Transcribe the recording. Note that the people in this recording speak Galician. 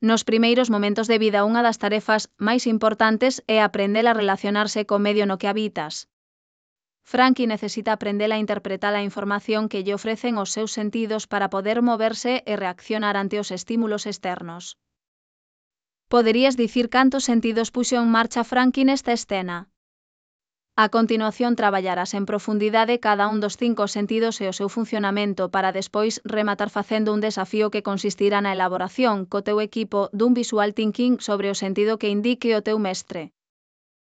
Nos primeiros momentos de vida unha das tarefas máis importantes é aprender a relacionarse co medio no que habitas. Frankie necesita aprender a interpretar a información que lle ofrecen os seus sentidos para poder moverse e reaccionar ante os estímulos externos. Poderías dicir cantos sentidos puxo en marcha Frankie nesta escena? A continuación traballarás en profundidade cada un dos 5 sentidos e o seu funcionamento para despois rematar facendo un desafío que consistirá na elaboración co teu equipo dun visual thinking sobre o sentido que indique o teu mestre.